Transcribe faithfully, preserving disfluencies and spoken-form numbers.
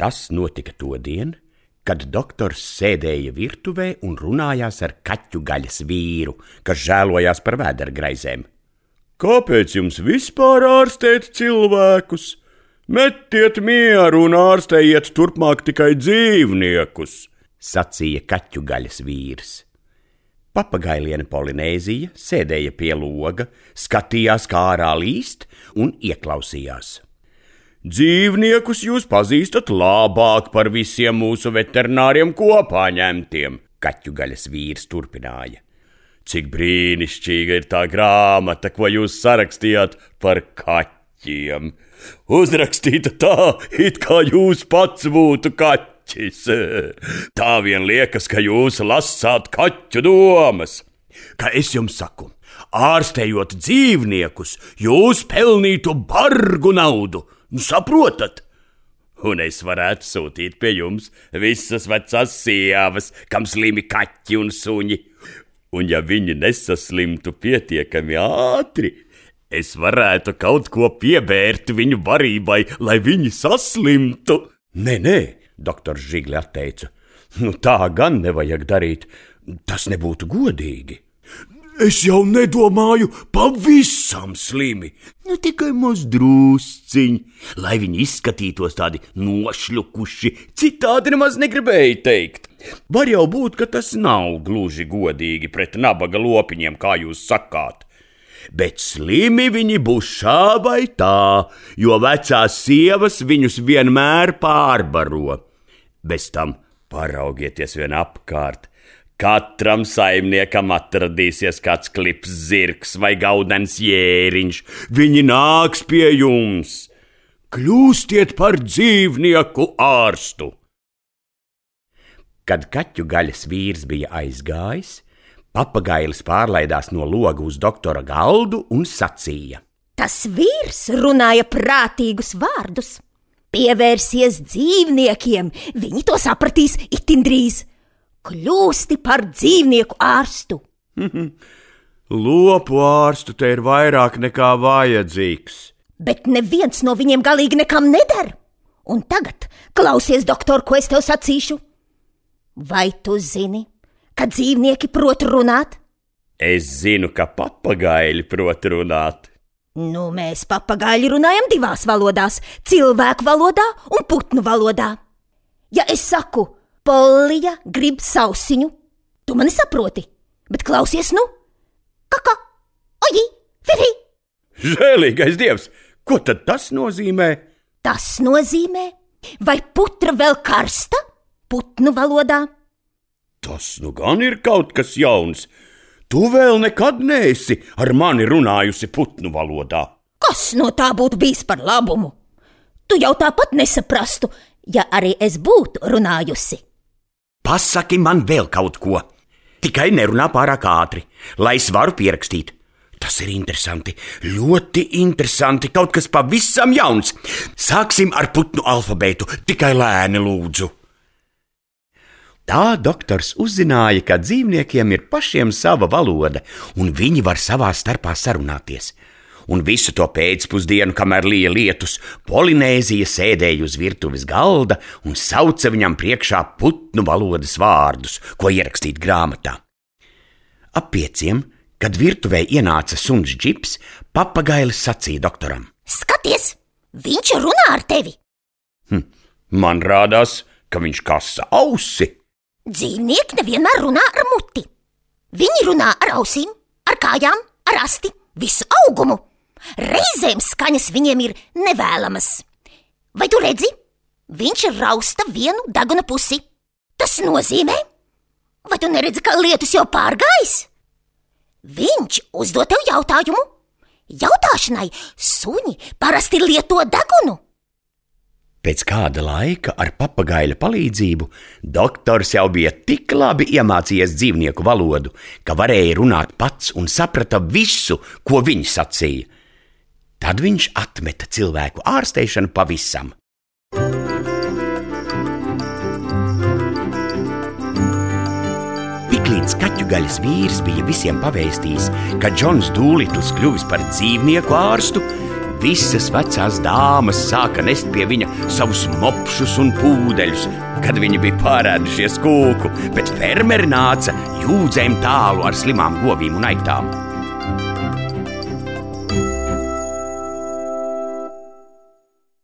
Tas notika todien, kad doktors sēdēja virtuvē un runājās ar kaķu gaļas vīru, kas žēlojās par vēdergraizēm. Kāpēc jums vispār ārstēt cilvēkus? Metiet mieru un ārstējiet turpmāk tikai dzīvniekus, sacīja kaķu gaļas vīrs. Papagailiene Polinēzija sēdēja pie loga, skatījās, kā ārā līst un ieklausījās. Dzīvniekus jūs pazīstat labāk par visiem mūsu veterināriem kopā ņemtiem, kaķu gaļas vīrs turpināja. Cik brīnišķīga ir tā grāmata, ko jūs sarakstījāt par kaķiem. Uzrakstīta tā, it kā jūs pats būtu kaķis. Tā vien liekas, ka jūs lasāt kaķu domas. Kā es jums saku, ārstējot dzīvniekus, jūs pelnītu bargu naudu. Saprotat? Un es varētu sūtīt pie jums visas vecās sievas, kam slimi kaķi un suņi. Un ja viņi nesaslimtu pietiekami ātri, es varētu kaut ko piebērt viņu barībai, lai viņi saslimtu. Nē, nē, doktors Žigli atteica. Nu tā gan nevajag darīt, tas nebūtu godīgi. Es jau nedomāju pavisam slimi, nu tikai maz drusciņi, lai viņi izskatītos tādi nošļukuši, citādi nemaz negribēju teikt. Var jau būt, ka tas nav gluži godīgi pret nabaga lopiņiem, kā jūs sakāt. Bet slimi viņi būs šā vai tā, jo vecās sievas viņus vienmēr pārbaro. Bez tam paraugieties vien apkārt. Katram saimniekam atradīsies kāds klips zirgs vai gaudens jēriņš. Viņi nāks pie jums. Kļūstiet par dzīvnieku ārstu. Kad kaķu gaļas vīrs bija aizgājis, papagailis pārlaidās no loga uz doktora galdu un sacīja. Tas vīrs runāja prātīgus vārdus. Pievērsies dzīvniekiem, viņi to sapratīs itin drīz. Kļūsti par dzīvnieku ārstu. Lopu ārstu te ir vairāk nekā vajadzīgs. Bet neviens no viņiem galīgi nekam neder. Un tagad klausies, doktor, ko es tev sacīšu. Vai tu zini, ka dzīvnieki prot runāt? Es zinu, ka papagaili prot runāt. Nu, mēs papagaili runājam divās valodās – cilvēku valodā un putnu valodā. Ja es saku, Pollija grib sausiņu, tu mani saproti, bet klausies nu. Kaka, oji, fifi. Žēlīgais dievs, ko tad tas nozīmē? Tas nozīmē, vai putra vēl karsta putnu valodā? Tas nu gan ir kaut kas jauns. Tu vēl nekad neesi ar mani runājusi putnu valodā. Kas no tā būtu bijis par labumu? Tu jau tāpat nesaprastu, ja arī es būtu runājusi. Pasaki man vēl kaut ko. Tikai nerunā pārāk ātri, lai es varu pierakstīt. Tas ir interesanti, ļoti interesanti, kaut kas pavisam jauns. Sāksim ar putnu alfabētu, tikai lēni lūdzu. Tā doktors uzzināja, ka dzīvniekiem ir pašiem sava valoda, un viņi var savā starpā sarunāties. Un visu to pēcpusdienu, kamēr lija lietus, Polinēzija sēdēja uz virtuves galda un sauca viņam priekšā putnu valodas vārdus, ko ierakstīt grāmatā. Ap pieciem, kad virtuvē ienāca suns Džips, papagailis sacīja doktoram. Skaties, viņš runā ar tevi. Hm, man rādās, ka viņš kasa ausi. Dzīvnieki nevienmēr runā ar muti. Viņi runā ar ausīm, ar kājām, ar asti, visu augumu. Reizēm skaņas viņiem ir nevēlamas. Vai tu redzi? Viņš rausta vienu deguna pusi. Tas nozīmē, vai tu neredzi, ka lietus jau pārgājis? Viņš uzdod tev jautājumu. Jautāšanai suņi parasti lieto degunu. Pēc kāda laika ar papagaļa palīdzību doktors jau bija tik labi iemācījies dzīvnieku valodu, ka varēja runāt pats un saprata visu, ko viņi sacīja. Tad viņš atmeta cilvēku ārsteišanu pavisam. Tiklīdz kaķu gaļas vīrs bija visiem pavēstījis, ka Džons Dūlitls kļuvis par dzīvnieku ārstu, Visas vecās dāmas sāka nest pie viņa savus mopšus un pūdeļus, kad viņi bija pārēdušies kūku, bet fermeri nāca jūdzēm tālu ar slimām govīm un aitām.